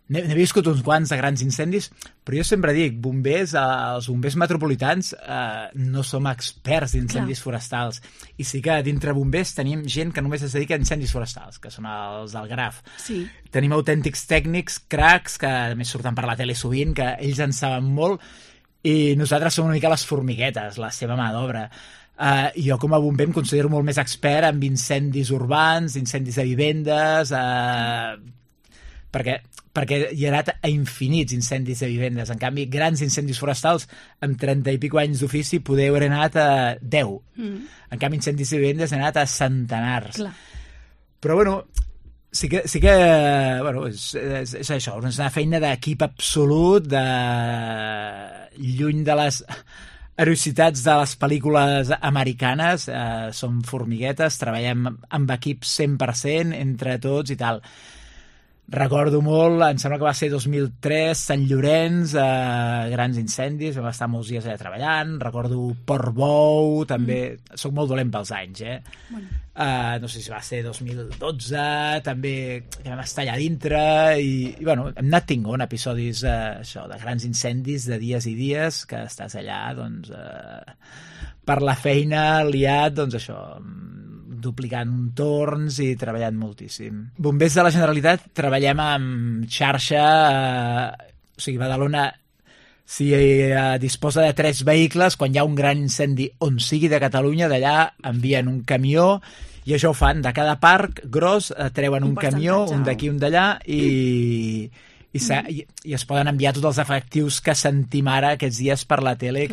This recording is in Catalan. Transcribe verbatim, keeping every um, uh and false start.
n'he, n'he viscut uns quants de grans incendis, però jo sempre dic, bombers, eh, els bombers metropolitans eh, no som experts d'incendis Clar. forestals. I sí que dintre bombers tenim gent que només es dedica a incendis forestals, que són els del Graf. Sí. Tenim autèntics tècnics, cracs, que a més surten per la tele sovint, que ells en saben molt, i nosaltres som una mica les formiguetes, la seva mà d'obra. Uh, jo com a bomber em considero molt més expert en incendis urbans, incendis de vivendes, uh, perquè, perquè hi ha anat a infinits incendis de vivendes. En canvi, grans incendis forestals, amb trenta i pico anys d'ofici, poder haver anat a deu. Mm. En canvi, incendis de vivendes he anat a centenars. Clar. Però, bueno, sí que, sí que bueno, és, és, és això, és una feina d'equip absolut, de lluny de les heroïcitats de les pel·lícules americanes, eh, som formiguetes, treballem amb equip cent per cent entre tots i tal. Recordo molt, em sembla que va ser dos mil tres, Sant Llorenç, eh, grans incendis, vam estar molts dies allà treballant. Recordo Portbou, també, mm. soc molt dolent pels anys, eh? Bueno. Uh, no sé si va ser dos mil dotze, també que vam estar allà dintre, i, i bueno, hem anat tinguent episodis uh, això, de grans incendis, de dies i dies, que estàs allà, doncs, uh, per la feina liat, doncs això, duplicant torns i treballant moltíssim. Bombers de la Generalitat treballem amb xarxa, eh, o sigui, Badalona si eh, disposa de tres vehicles, quan hi ha un gran incendi on sigui de Catalunya, d'allà envien un camió, i això ho fan, de cada parc gros eh, treuen un, un camió, un d'aquí, un d'allà, i, i, i, i es poden enviar tots els efectius que sentim ara aquests dies per la tele,